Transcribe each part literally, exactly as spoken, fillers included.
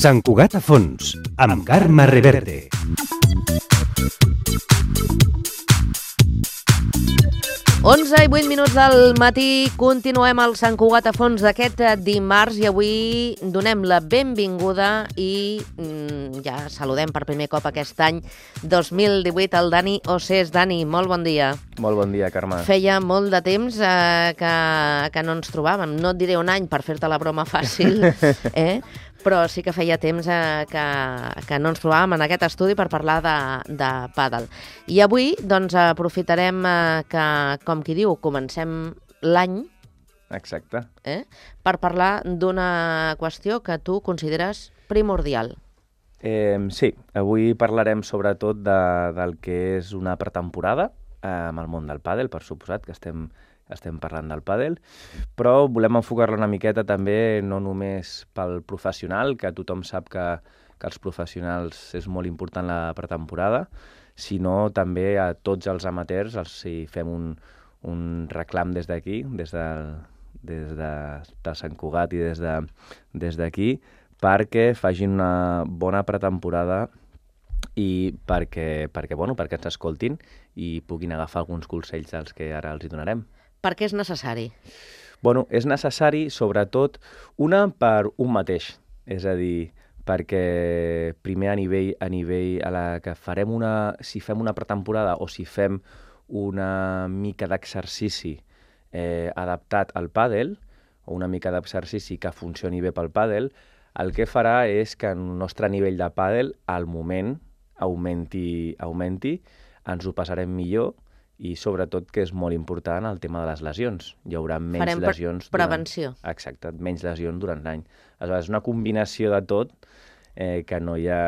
Sant Cugat a fons, amb Carme Reverte. onze i vuit minuts del matí, continuem al Sant Cugat a fons d'aquest dimarts i avui donem la benvinguda i mm, ja saludem per primer cop aquest any dos mil divuit al Dani Ossés. Dani, molt bon dia. Molt bon dia, Carme. Feia molt de temps eh, que, que no ens trobàvem. No et diré un any per fer-te la broma fàcil, eh? Però sí que feia temps eh, que, que no ens trobàvem en aquest estudi per parlar de, de pàdel. I avui doncs, aprofitarem eh, que, com qui diu, comencem l'any. Exacte. Eh, per parlar d'una qüestió que tu consideres primordial. Eh, sí, avui parlarem sobretot de, del que és una pretemporada eh, amb el món del pàdel, per suposat, que estem... estem parlant del pàdel, però volem enfocar-la una miqueta també no només pel professional, que tothom sap que, que els professionals és molt important la pretemporada, sinó també a tots els amateurs, els, si fem un, un reclam des d'aquí, des, de, des de, de Sant Cugat i des de, des d'aquí, perquè facin una bona pretemporada i perquè, perquè, bueno, perquè ens escoltin i puguin agafar alguns consells dels que ara els hi donarem. Per què és necessari? Bueno, és necessari, sobretot, una per un mateix. És a dir, perquè primer a nivell, a nivell a la que farem una... Si fem una pretemporada o si fem una mica d'exercici eh, adaptat al pàdel, o una mica d'exercici que funcioni bé pel pàdel, el que farà és que el nostre nivell de pàdel, al moment, augmenti, augmenti, ens ho passarem millor, i sobretot, que és molt important, el tema de les lesions. Hi haurà menys Farem lesions... Farem prevenció. Durant... Exacte, menys lesions durant l'any. Aleshores, és una combinació de tot eh, que no hi ha...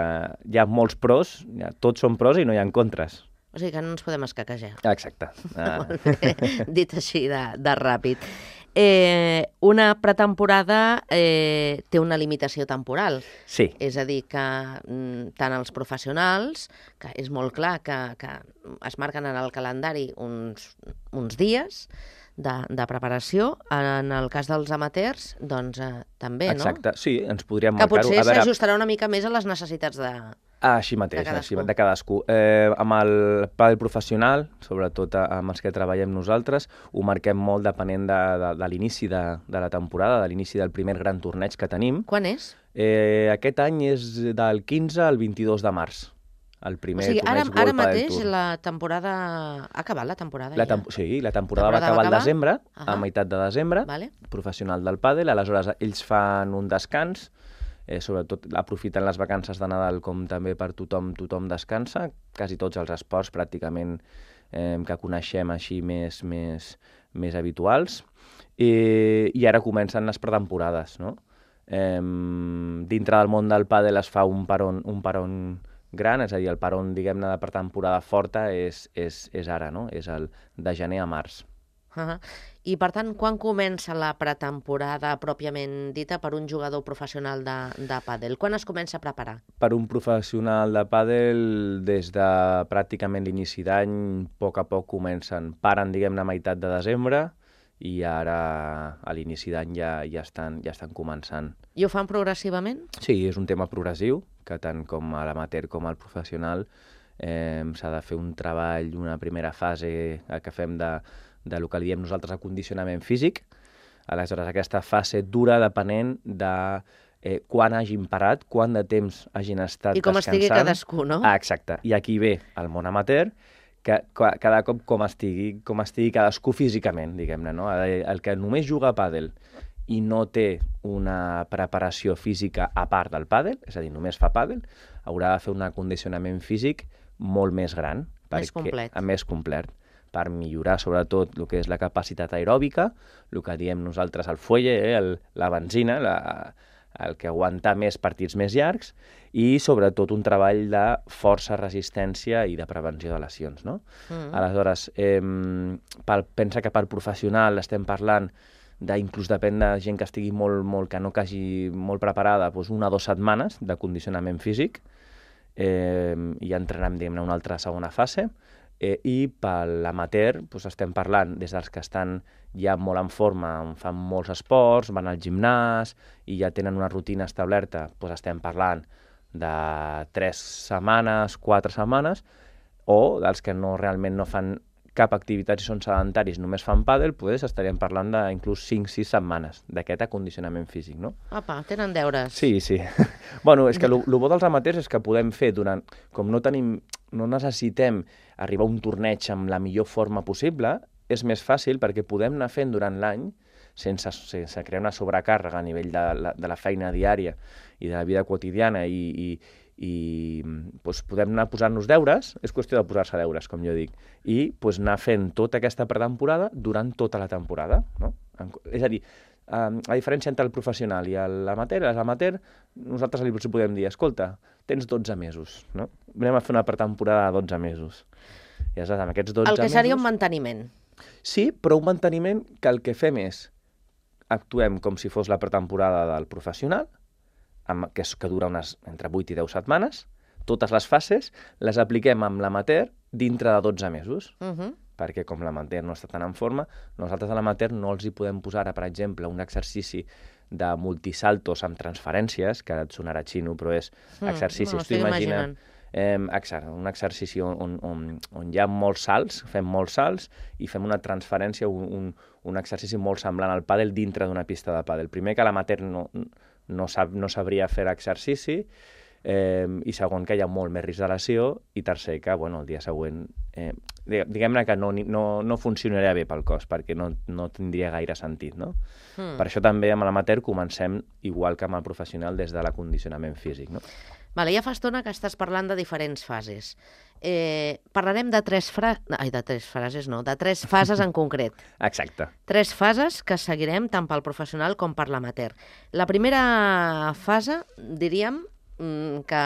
Hi ha molts pros, ha... tots són pros i no hi ha contres. O sigui que no ens podem escaquejar. Exacte. Ah. Molt bé, dit així de, de ràpid. Eh, una pretemporada eh, té una limitació temporal. Sí. És a dir, que mm, tant els professionals, que és molt clar que, que es marquen en el calendari uns, uns dies de, de preparació, en el cas dels amateurs, doncs eh, també, no? Exacte, sí, ens podríem que marcar-ho. Que potser s'ajustarà una mica més a les necessitats de... Ah, així mateix, de cadascú. Així, de cadascú. Eh, amb el pàdel professional, sobretot amb els que treballem nosaltres, ho marquem molt depenent de, de, de l'inici de, de la temporada, de l'inici del primer gran torneig que tenim. Quan és? Eh, aquest any és del quinze al vint-i-dos de març. El primer o sigui, ara, torneig ara World Padel mateix Tour. la temporada... Ha acabat la temporada la tem ja? Sí, la temporada, temporada va acabar al desembre, uh -huh. a meitat de desembre, vale. Professional del pàdel. Aleshores, ells fan un descans, eh, sobretot aprofiten les vacances de Nadal com també per tothom, tothom descansa, quasi tots els esports pràcticament eh, que coneixem així més, més, més habituals, I, i ara comencen les pretemporades, no? Eh, dintre del món del pàdel es fa un peron, un peron gran, és a dir, el peron, diguem-ne, de pretemporada forta és, és, és ara, no? És el de gener a març. Uh -huh. I, per tant, quan comença la pretemporada pròpiament dita per un jugador professional de, de pàdel? Quan es comença a preparar? Per un professional de pàdel, des de pràcticament l'inici d'any, a poc a poc comencen, paren, diguem-ne, a meitat de desembre, i ara, a l'inici d'any, ja, ja, estan, ja estan començant. I ho fan progressivament? Sí, és un tema progressiu, que tant com a l'amateur com al professional eh, s'ha de fer un treball, una primera fase que fem de del que li diem nosaltres acondicionament físic. Aleshores, aquesta fase dura depenent de eh, quan hagin parat, quant de temps hagin estat descansant. I com estigui cadascú, no? Ah, exacte. I aquí ve el món amateur, que cada cop com estigui, com estigui cadascú físicament, diguem-ne, no? El que només juga a pàdel i no té una preparació física a part del pàdel, és a dir, només fa pàdel, haurà de fer un acondicionament físic molt més gran. Més complet. Perquè, més complet. Per millorar sobretot el que és la capacitat aeròbica, el que diem nosaltres el fuelle, eh, el, la benzina, la, el que aguanta més partits més llargs, i sobretot un treball de força, resistència i de prevenció de lesions, no? Mm. Aleshores, eh, pel, pensa que per professional estem parlant d'inclús depèn de gent que estigui molt, molt que no que hagi molt preparada, doncs una o dues setmanes de condicionament físic, eh, i entrenem, diguem-ne, una altra segona fase, Eh, I per l'amateur doncs estem parlant des dels que estan ja molt en forma, fan molts esports, van al gimnàs i ja tenen una rutina establerta, doncs estem parlant de tres setmanes, quatre setmanes, o dels que no realment no fan cap activitat i són sedentaris, només fan pàdel, doncs estaríem parlant d'inclús cinc sis setmanes d'aquest acondicionament físic, no? Apa, tenen deures. Sí, sí. Bueno, és que el bo dels amateurs és que podem fer durant... Com no tenim, no necessitem arribar a un torneig amb la millor forma possible, és més fàcil perquè podem anar fent durant l'any sense, sense crear una sobrecàrrega a nivell de la, de la feina diària i de la vida quotidiana i, i, i doncs podem anar posant-nos deures, és qüestió de posar-se deures, com jo dic, i doncs anar fent tota aquesta pretemporada durant tota la temporada, no? És a dir, a diferència entre el professional i l'amateur, l'amateur, nosaltres li podem dir, escolta, tens dotze mesos, no? Anem a fer una pretemporada de dotze mesos. I aleshores, amb aquests dotze El que mesos... seria un manteniment. Sí, però un manteniment que el que fem és actuem com si fos la pretemporada del professional, amb, que, és, que dura unes entre vuit i deu setmanes, totes les fases les apliquem amb l'amateur dintre de dotze mesos, Uh -huh. perquè com l'amateur no està tan en forma, nosaltres a l'amateur no els hi podem posar, ara, per exemple, un exercici de multisaltos amb transferències, que et sonarà xino, però és exercicis, no, tu imagina... Eh, exacte, un exercici on, on, on, on hi ha molts salts, fem molts salts i fem una transferència, un, un, un exercici molt semblant al pàdel dintre d'una pista de pàdel. Primer que l'amateur no, no, sab, no sabria fer l'exercici, eh, i segon que hi ha molt més risc de lesió, i tercer que bueno, el dia següent eh, diguem-ne que no, no, no funcionaria bé pel cos perquè no, no tindria gaire sentit, no? Mm. Per això també amb l'amateur comencem igual que amb el professional des de l'acondicionament físic, no? Vale, ja fa estona que estàs parlant de diferents fases. Eh, parlarem de tres, fra... Ai, de tres frases, no, de tres fases en concret. Exacte. Tres fases que seguirem tant pel professional com per l'amateur. La primera fase, diríem, que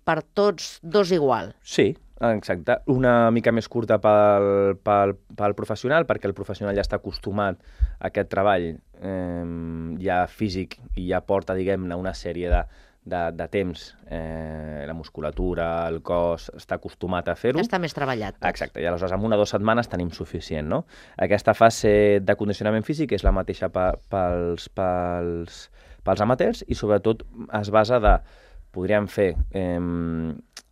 per tots dos igual. Sí, exacte. Una mica més curta pel, pel, pel professional, perquè el professional ja està acostumat a aquest treball eh, ja físic i ja porta, diguem-ne, una sèrie de De, de temps, eh, la musculatura, el cos, està acostumat a fer-ho. Ja està més treballat. Tot. Exacte, i aleshores en una o dues setmanes tenim suficient, no? Aquesta fase de condicionament físic és la mateixa pa, pels, pels, pels amateurs i sobretot es basa de, podríem fer, eh,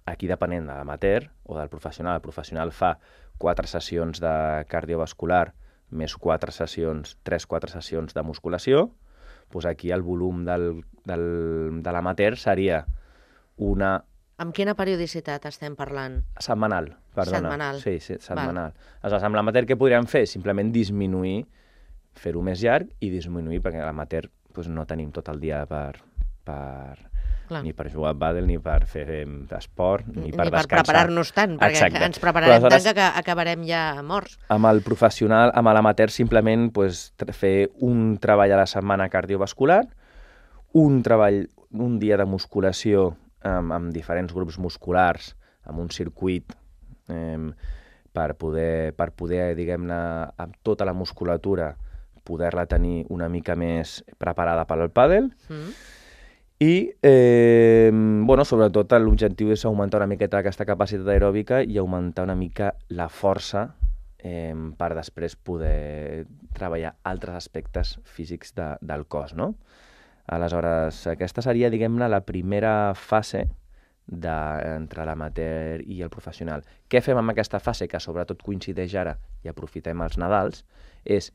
aquí depenent de l'amateur o del professional, el professional fa quatre sessions de cardiovascular més quatre sessions, tres, quatre sessions de musculació, doncs aquí el volum del, del, de l'amateur seria una... Amb quina periodicitat estem parlant? Setmanal, perdona. Setmanal. Sí, sí, setmanal. Aleshores, amb l'amateur què podríem fer? Simplement disminuir, fer-ho més llarg i disminuir, perquè a l'amateur doncs, no tenim tot el dia per... per Clar. Ni per jugar a pàdel, ni per fer esport, ni per ni descansar. Ni per preparar-nos tant, perquè Exacte. ens prepararem tant que acabarem ja morts. Amb el professional, amb l'amateur, simplement pues, fer un treball a la setmana cardiovascular, un treball, un dia de musculació amb, amb diferents grups musculars, amb un circuit eh, per poder, per poder diguem-ne, amb tota la musculatura, poder-la tenir una mica més preparada per al pàdel. Mm. I, eh, bueno, sobretot l'objectiu és augmentar una miqueta aquesta capacitat aeròbica i augmentar una mica la força eh, per després poder treballar altres aspectes físics de, del cos, no? Aleshores, aquesta seria, diguem-ne, la primera fase de, entre l'amateur i el professional. Què fem amb aquesta fase, que sobretot coincideix ara i aprofitem els Nadals, és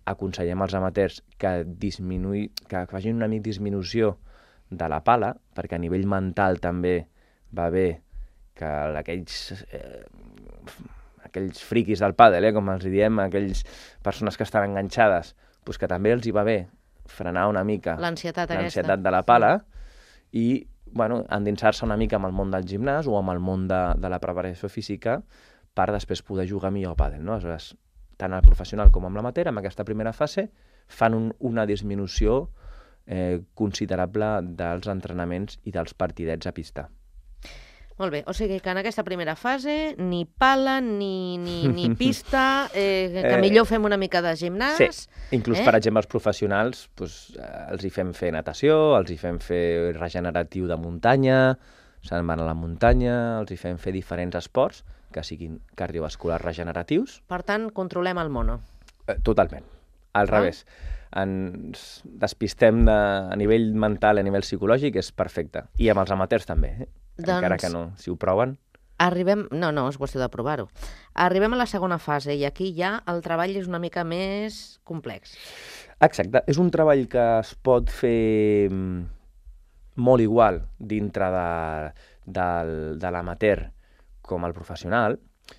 aconsellem als amateurs que, disminuï, que facin una mica disminució de la pala, perquè a nivell mental també va bé que aquells, eh, aquells friquis del pàdel, eh, com els diem, aquells persones que estan enganxades, doncs que també els hi va bé frenar una mica l'ansietat l'ansietat de la pala i bueno, endinsar-se una mica amb el món del gimnàs o amb el món de, de la preparació física per després poder jugar millor a pàdel, no? Aleshores, tant el professional com amb l'amateur, en aquesta primera fase, fan un, una disminució Eh, considerable dels entrenaments i dels partidets a pista. Molt bé, o sigui que en aquesta primera fase ni pala, ni, ni, ni pista, eh, que millor fem una mica de gimnàs. Sí, inclús eh? per exemple els professionals doncs, els hi fem fer natació, els hi fem fer regeneratiu de muntanya, se'n van a la muntanya, els hi fem fer diferents esports que siguin cardiovasculars regeneratius. Per tant, controlem el mono. Eh, totalment. Al ah. revés. Ens despistem de, a nivell mental, a nivell psicològic, és perfecte. I amb els amateurs també, eh? Doncs... encara que no, si ho proven... Arribem... No, no, és qüestió de provar-ho. Arribem a la segona fase i aquí ja el treball és una mica més complex. Exacte. És un treball que es pot fer molt igual dintre de, de, de l'amateur com el professional.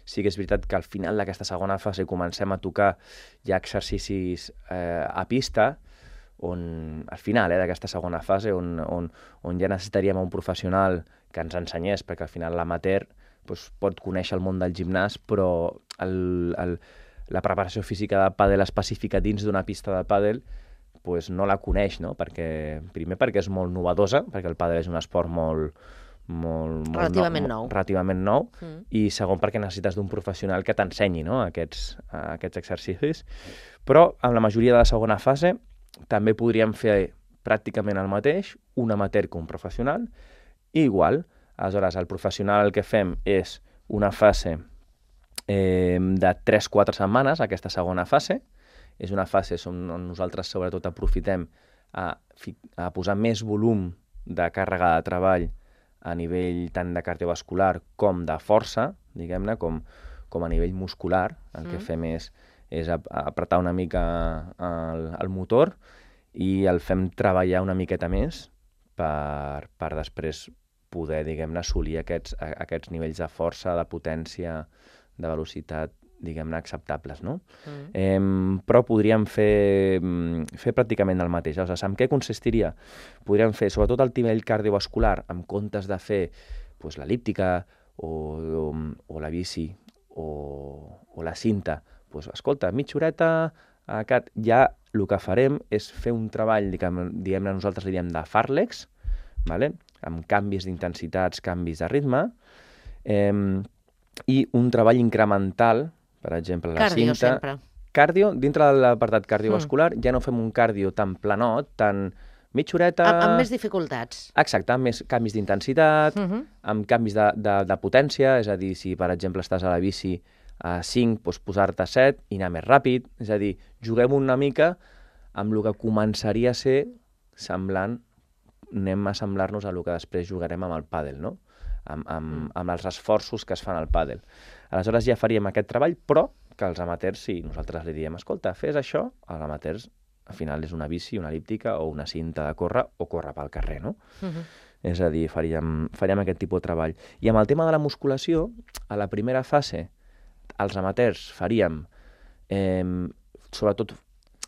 Sí que és veritat que al final d'aquesta segona fase comencem a tocar ja exercicis eh, a pista, on al final eh, d'aquesta segona fase, on, on, on ja necessitaríem un professional que ens ensenyés, perquè al final l'amateur doncs, pot conèixer el món del gimnàs, però el, el, la preparació física de pàdel específica dins d'una pista de pàdel doncs, no la coneix, no? Perquè, primer perquè és molt novedosa, perquè el pàdel és un esport molt... Molt, molt relativament nou, nou. Relativament nou mm. I segon perquè necessites d'un professional que t'ensenyi, no? aquests, aquests exercicis. Però en la majoria de la segona fase també podríem fer pràcticament el mateix, un amateur que un professional, i igual. Aleshores, el professional el que fem és una fase eh, de tres a quatre setmanes, aquesta segona fase. És una fase on nosaltres sobretot aprofitem a, a posar més volum de càrrega de treball a nivell tant de cardiovascular com de força, diguem-ne, com, com a nivell muscular. El mm. que fem és, és apretar una mica el, el motor i el fem treballar una miqueta més per, per després poder, diguem-ne, assolir aquests, aquests nivells de força, de potència, de velocitat, diguem-ne, acceptables, no? Mm. Eh, però podríem fer, fer pràcticament el mateix. O sigui, en què consistiria? Podríem fer, sobretot el nivell cardiovascular, en comptes de fer pues, l'elíptica o, o, o la bici o, o la cinta. Pues, escolta, mitja horeta, aquest, ja el que farem és fer un treball, diguem-ne, nosaltres li diem de fàrlecs, vale? Amb canvis d'intensitats, canvis de ritme, eh, i un treball incremental, per exemple, la cardio, cinta... sempre. Cardio, dintre de l'apartat cardiovascular, mm. ja no fem un cardio tan planot, tan mitja horeta... Amb, amb més dificultats. Exacte, amb més canvis d'intensitat, mm -hmm. amb canvis de, de, de potència, és a dir, si per exemple estàs a la bici a cinc, doncs posar-te a set i anar més ràpid, és a dir, juguem una mica amb el que començaria a ser semblant, anem a assemblar-nos a el que després jugarem amb el pàdel, no? Amb, amb, mm. amb els esforços que es fan al pàdel. Aleshores ja faríem aquest treball, però que els amateurs, si nosaltres li diem, escolta, fes això, els amateurs al final és una bici, una elíptica o una cinta de córrer o córrer pel carrer, no? Mm-hmm. És a dir, faríem, faríem aquest tipus de treball. I amb el tema de la musculació, a la primera fase, els amateurs faríem eh, sobretot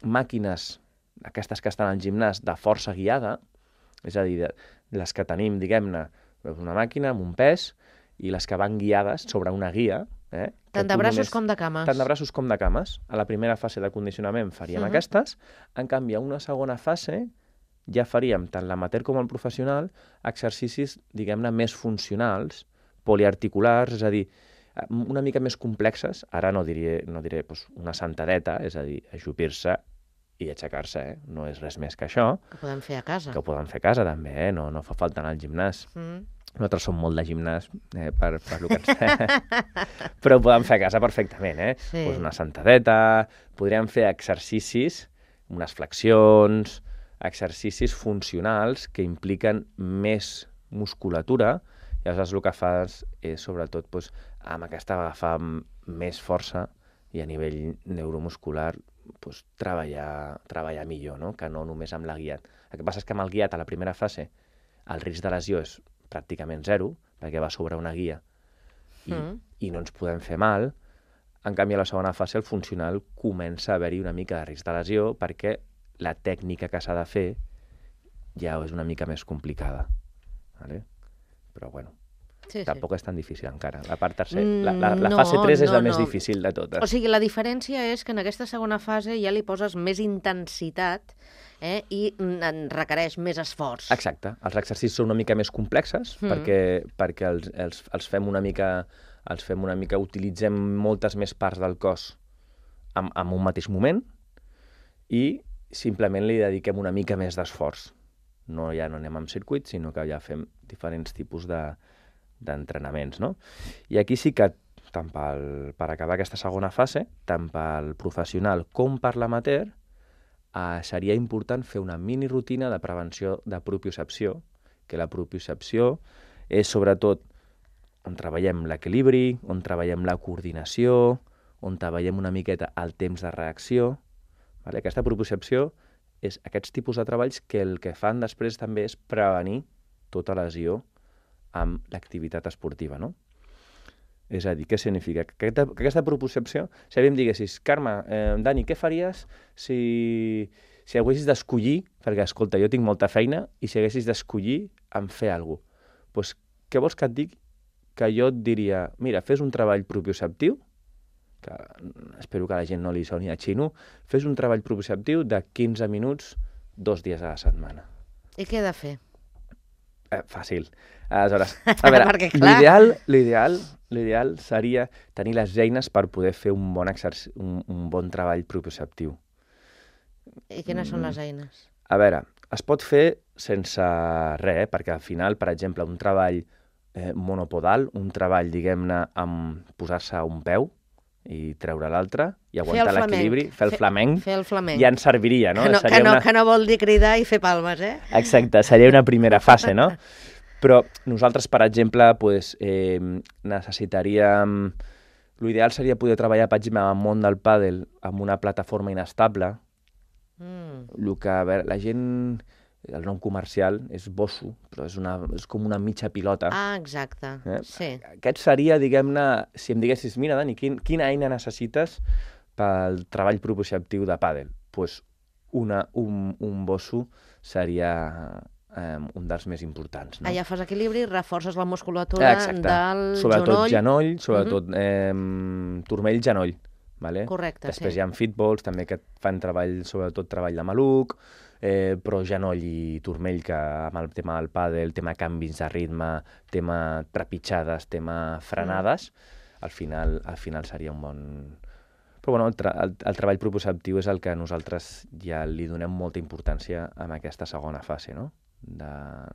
màquines, aquestes que estan al gimnàs, de força guiada, és a dir, de, les que tenim, diguem-ne, una màquina amb un pes i les que van guiades sobre una guia. Eh, tant de braços només, com de cames. Tant de braços com de cames. A la primera fase de condicionament faríem uh-huh. aquestes. En canvi, a una segona fase ja faríem, tant l'amateur com el professional, exercicis, diguem-ne, més funcionals, poliarticulars, és a dir, una mica més complexes. Ara no diré, no diré doncs, una sentadeta, és a dir, ajupir-se i aixecar-se, eh? No és res més que això. Que podem fer a casa. Que ho podem fer a casa, també, eh? No, no fa falta anar al gimnàs. Mm. Nosaltres som molt de gimnàs, eh, per, per lo que ens però ho podem fer a casa perfectament, eh? Sí. Pues una sentadeta, podríem fer exercicis, unes flexions, exercicis funcionals que impliquen més musculatura, i aleshores el que fas és, sobretot, pues, amb aquesta agafar més força i a nivell neuromuscular pues, treballar, treballar millor, no? Que no només amb la guiat. El que passa és que amb el guiat a la primera fase el risc de lesió és pràcticament zero, perquè va sobre una guia i, mm. i no ens podem fer mal. En canvi, a la segona fase el funcional comença a haver-hi una mica de risc de lesió perquè la tècnica que s'ha de fer ja és una mica més complicada. Vale? Però bueno, sí, tampoc sí. és tan difícil encara. La part tercera, la, la, la no, fase tres és no, la més no. difícil de totes. O sigui, la diferència és que en aquesta segona fase ja li poses més intensitat eh, i en requereix més esforç. Exacte. Els exercicis són una mica més complexes mm. perquè, perquè els, els, els fem una mica, els fem una mica, utilitzem moltes més parts del cos en, en un mateix moment i simplement li dediquem una mica més d'esforç. No, ja no anem amb circuit, sinó que ja fem diferents tipus de d'entrenaments, no? I aquí sí que tant pel, per acabar aquesta segona fase, tant pel professional com per l'amateur, eh, seria important fer una mini rutina de prevenció de propiocepció, que la propiocepció és sobretot on treballem l'equilibri, on treballem la coordinació, on treballem una miqueta el temps de reacció. Vale? Aquesta propiocepció és aquests tipus de treballs que el que fan després també és prevenir tota lesió amb l'activitat esportiva, no? És a dir, què significa? Que aquesta, que aquesta propiocepció, si a mi em diguessis, Carme, eh, Dani, què faries si, si haguessis d'escollir, perquè, escolta, jo tinc molta feina, i si haguessis d'escollir en fer alguna cosa, doncs què vols que et digui? Que jo et diria, mira, fes un treball propioceptiu, que espero que a la gent no li soni a xino, fes un treball propioceptiu de quinze minuts, dos dies a la setmana. I què he de fer? Eh, fàcil. Aleshores, a veure, Perquè, clar. l'ideal, l'ideal, l'ideal seria tenir les eines per poder fer un bon, exercici, un, un bon treball propioceptiu. I quines són les eines? A veure, es pot fer sense res, eh? Perquè al final, per exemple, un treball eh, monopodal, un treball, diguem-ne, amb posar-se a un peu i treure l'altre i aguantar l'equilibri, fer el flamenc, fer el flamenc. ja ens serviria, no? Que no, Seria que, no una... que no vol dir cridar i fer palmes, eh? Exacte, seria una primera fase, no? Però nosaltres, per exemple, pues, eh, necessitaríem... L'ideal seria poder treballar, per exemple, en el món del pàdel amb una plataforma inestable. Mm. El que, a veure, la gent... El nom comercial és bosso, però és, una, és com una mitja pilota. Ah, exacte, Eh? sí. Aquest seria, diguem-ne, si em diguessis, mira, Dani, quin, quina eina necessites pel treball propioceptiu de pàdel? Doncs pues una, un, un bosso seria eh, un dels més importants. No? Allà fas equilibri, reforces la musculatura Exacte. del sobretot genoll. genoll, sobretot mm -hmm. eh, turmell-genoll. Vale? Correcte, Després sí. hi ha fitballs, també que fan treball, sobretot treball de maluc, eh, però genoll i turmell, que amb el tema del pàdel, tema canvis de ritme, tema trepitjades, tema frenades, mm. al, final, al final seria un bon... Però bueno, el, tra el, el treball propioceptiu és el que nosaltres ja li donem molta importància en aquesta segona fase, no? de,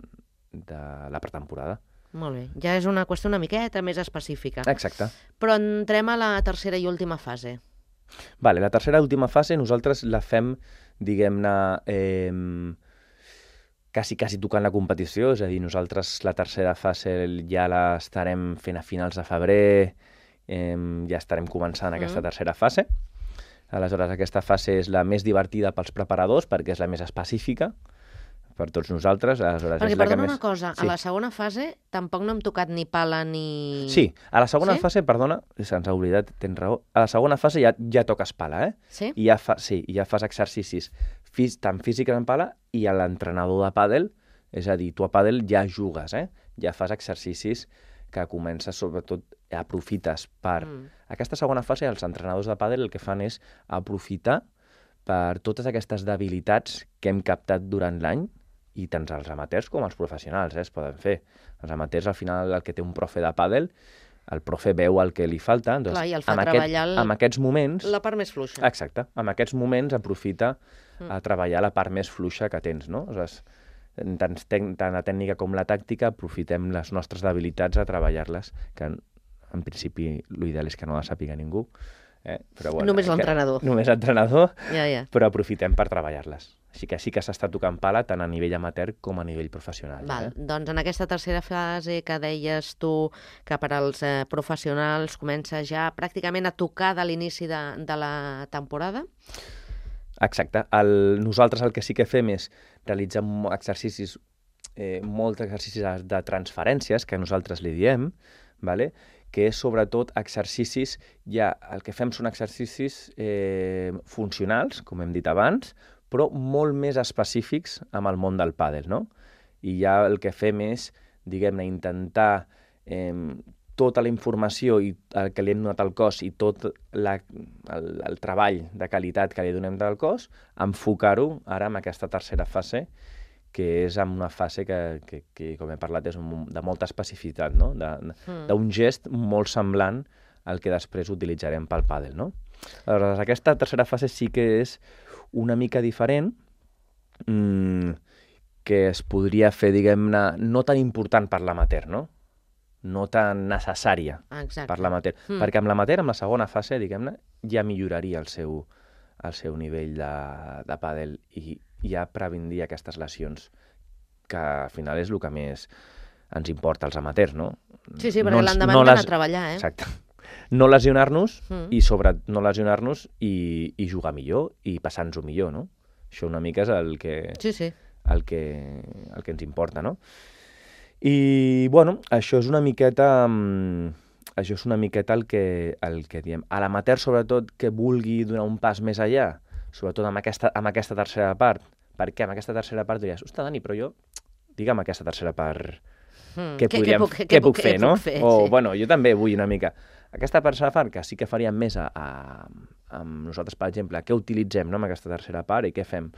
de la pretemporada. Molt bé, ja és una qüestió una miqueta més específica. Exacte. Però entrem a la tercera i última fase. Vale, la tercera i última fase nosaltres la fem, diguem-ne, eh, quasi, quasi tocant la competició, és a dir, nosaltres la tercera fase ja l'estarem fent a finals de febrer, eh, ja estarem començant aquesta mm. tercera fase. Aleshores, aquesta fase és la més divertida pels preparadors perquè és la més específica per tots nosaltres. Aleshores, Perquè, és la perdona que més... una cosa, sí. A la segona fase tampoc no hem tocat ni pala ni... Sí, a la segona sí? fase, perdona, se'ns ha oblidat, tens raó, a la segona fase ja, ja toques pala, eh? Sí? I ja fa, sí, ja fas exercicis fís, tant físics en pala i a l'entrenador de pàdel, és a dir, tu a pàdel ja jugues, eh? Ja fas exercicis que comences, sobretot, aprofites per... Mm. Aquesta segona fase, els entrenadors de pàdel el que fan és aprofitar per totes aquestes debilitats que hem captat durant l'any, i tant els amateurs com els professionals eh, es poden fer. Els amateurs, al final, el que té un profe de pàdel, el profe veu el que li falta. Doncs, clar, i el fa amb treballar aquest, el... amb aquests moments... la part més fluixa. Exacte. En aquests moments aprofita mm. a treballar la part més fluixa que tens, no? Aleshores, tant, tant la tècnica com la tàctica, aprofitem les nostres debilitats a treballar-les, que en, en principi l'ideal és que no la sàpiga ningú. Eh? Però, bueno, només l'entrenador. Només l'entrenador, ja, ja. Però aprofitem per treballar-les. Així que sí que s'està tocant pala tant a nivell amateur com a nivell professional. Val. Eh? Doncs en aquesta tercera fase que deies tu que per als eh, professionals comença ja pràcticament a tocar de l'inici de, de la temporada. Exacte. El, nosaltres el que sí que fem és realitzar exercicis, eh, molts exercicis de transferències, que nosaltres li diem, vale? Que és sobretot exercicis, ja el que fem són exercicis eh, funcionals, com hem dit abans, però molt més específics amb el món del pàdel, no? I ja el que fem és, diguem-ne, intentar eh, tota la informació i el que li hem donat al cos i tot la, el, el treball de qualitat que li donem del cos, enfocar-ho ara en aquesta tercera fase, que és en una fase que, que, que com he parlat, és un, de molta especificitat, no? D'un mm. gest molt semblant al que després utilitzarem pel pàdel, no? Aleshores, aquesta tercera fase sí que és una mica diferent, mmm, que es podria fer, diguem-ne, no tan important per l'amateur, no? no tan necessària Exacte. per l'amateur. Mm. Perquè amb l'amateur, amb la segona fase, diguem-ne, ja milloraria el seu, el seu nivell de, de pàdel i ja previndria aquestes lesions, que al final és el que més ens importa als amateurs, no? Sí, sí, perquè no ens- l'endemà no hem d'anar les- a treballar, eh? Exacte. No lesionar-nos Mm. i sobre no lesionar-nos i, i jugar millor i passar-nos-ho millor, no? Això una mica és el que, Sí, sí. el que, el que ens importa, no? I, bueno, això és una miqueta... mm, això és una miqueta el que, el que diem. A l'amateur, sobretot, que vulgui donar un pas més allà, sobretot amb aquesta, amb aquesta tercera part. Per què? Amb aquesta tercera part diries, ostres, Dani, però jo, digue'm aquesta tercera part, Mm. què, podríem, puc, què, puc fer, què no? puc fer, o, sí. bueno, jo també vull una mica. Aquesta tercera part, que sí que faríem més a, a, amb nosaltres, per exemple, què utilitzem, no?, amb aquesta tercera part i què fem?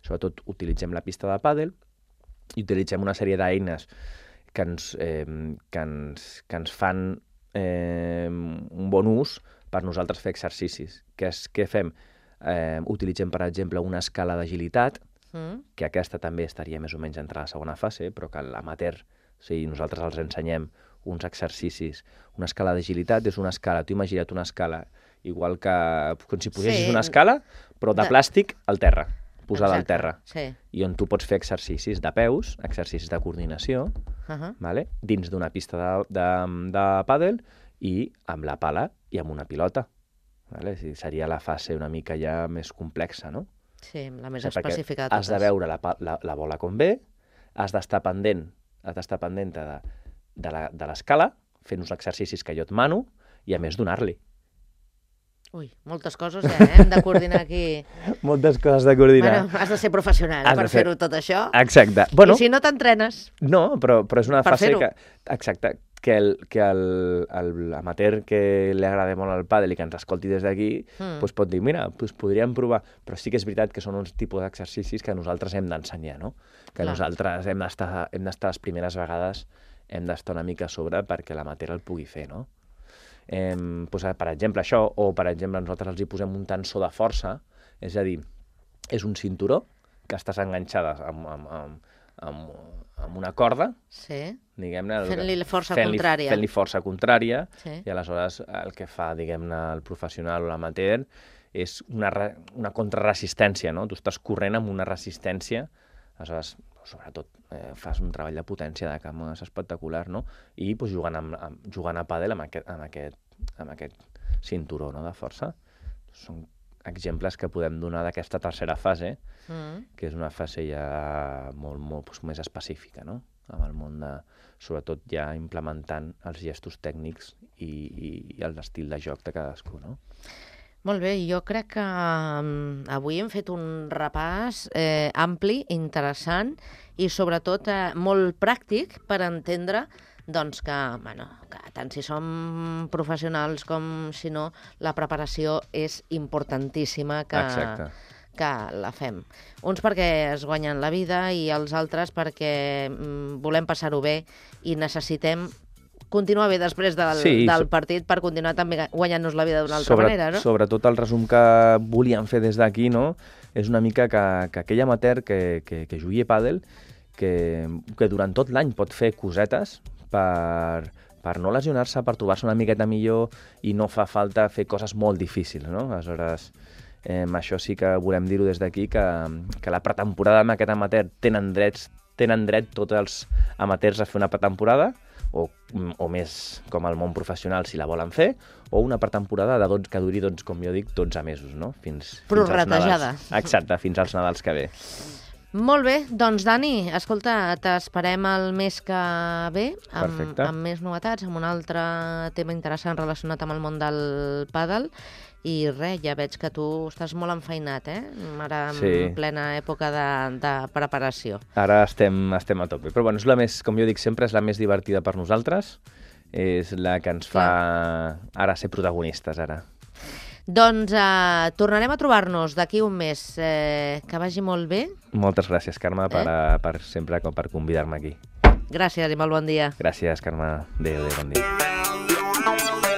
Sobretot utilitzem la pista de pàdel i utilitzem una sèrie d'eines que ens, eh, que ens, que ens fan eh, un bon ús per nosaltres fer exercicis. Què, és, què fem? Eh, utilitzem, per exemple, una escala d'agilitat, Mm. que aquesta també estaria més o menys entre la segona fase, però que l'amateur, o sigui, nosaltres els ensenyem uns exercicis. Una escala d'agilitat és una escala, tu imagina't una escala, igual que com si posessis Sí. una escala, però de De- plàstic al terra, posada al Exacte, terra, Sí. i on tu pots fer exercicis de peus, exercicis de coordinació, Uh -huh. vale? Dins d'una pista de, de, de pàdel i amb la pala i amb una pilota. Vale? O sigui, seria la fase una mica ja més complexa, no? Sí, la més O sigui, perquè específica de has de totes. veure la, pa- la, la bola com ve, has d'estar pendent, has d'estar pendent de, de la- de l'escala, fent uns exercicis que jo et mano, i a més donar-li. Ui, moltes coses, eh? Hem de coordinar aquí. Moltes coses de coordinar. Bueno, has de ser professional Has per de ser- fer-ho tot això. Exacte. Bueno, I si no t'entrenes. no, però, però és una Per fase fer-ho. que... Exacte. Que el, que el, el amateur que li agrada molt el pàdel i que ens escolti des d'aquí, Mm. doncs pot dir, mira, doncs podríem provar. Però sí que és veritat que són uns tipus d'exercicis que nosaltres hem d'ensenyar, no? Que Clar. nosaltres hem d'estar hem d'estar les primeres vegades, hem d'estar una mica a sobre perquè l'amateur el pugui fer, no? Eh, doncs, per exemple, això, o per exemple, nosaltres els hi posem un tensor de força, és a dir, és un cinturó que estàs enganxada amb, amb, amb, amb, amb una corda, Sí. diguem-ne... Fent-li força fent-li- contrària. Fent-li força contrària, Sí. i aleshores el que fa, diguem-ne, el professional o l'amateur és una, re- una contrarresistència, no? Tu estàs corrent amb una resistència, aleshores, sobretot, eh, fas un treball de potència de camp és espectacular, no? I doncs, jugant, amb, amb, jugant a pàdel amb aquest, amb, aquest, amb aquest cinturó, no?, de força. Són exemples que podem donar d'aquesta tercera fase, Mm. que és una fase ja molt, molt doncs, més específica, no?, amb el món de... Sobretot ja implementant els gestos tècnics i, i, i l'estil de joc de cadascú, no? Molt bé, jo crec que um, avui hem fet un repàs eh, ampli, interessant i sobretot eh, molt pràctic per entendre doncs, que, bueno, que tant si som professionals com si no, la preparació és importantíssima que, Exacte. que la fem. Uns perquè es guanyen la vida i els altres perquè mm, volem passar-ho bé i necessitem continuar bé després del, Sí, del so- partit per continuar també guanyant-nos la vida d'una altra Sobre, manera, no? Sobretot el resum que volíem fer des d'aquí, no?, és una mica que, que aquell amateur que, que, que jugui a pàdel, que, que durant tot l'any pot fer cosetes per, per no lesionar-se, per trobar-se una miqueta millor i no fa falta fer coses molt difícils, no? Aleshores, eh, això sí que volem dir-ho des d'aquí, que, que la pretemporada amb aquest amateur tenen drets, tenen dret tots els amateurs a fer una pretemporada, o, o més com al món professional si la volen fer, o una pretemporada de dotze, que duri, doncs, com jo dic, dotze mesos, no? Fins, fins als Prorratejada. Nadals. Exacte, fins als Nadals que ve. Molt bé, doncs Dani, escolta, t'esperem el mes que ve amb, Perfecte. amb més novetats, amb un altre tema interessant relacionat amb el món del pàdel. I res, ja veig que tu estàs molt enfeinat, eh? Ara en Sí. plena època de, de preparació. Ara estem, estem a tope. Però bueno, és la més, com jo dic sempre, és la més divertida per nosaltres. És la que ens fa ara ser protagonistes, ara. Doncs eh, tornarem a trobar-nos d'aquí un mes. Eh, que vagi molt bé. Moltes gràcies, Carme, per, Eh? per sempre com per convidar-me aquí. Gràcies i molt bon dia. Gràcies, Carme. Adéu, adéu, bon dia.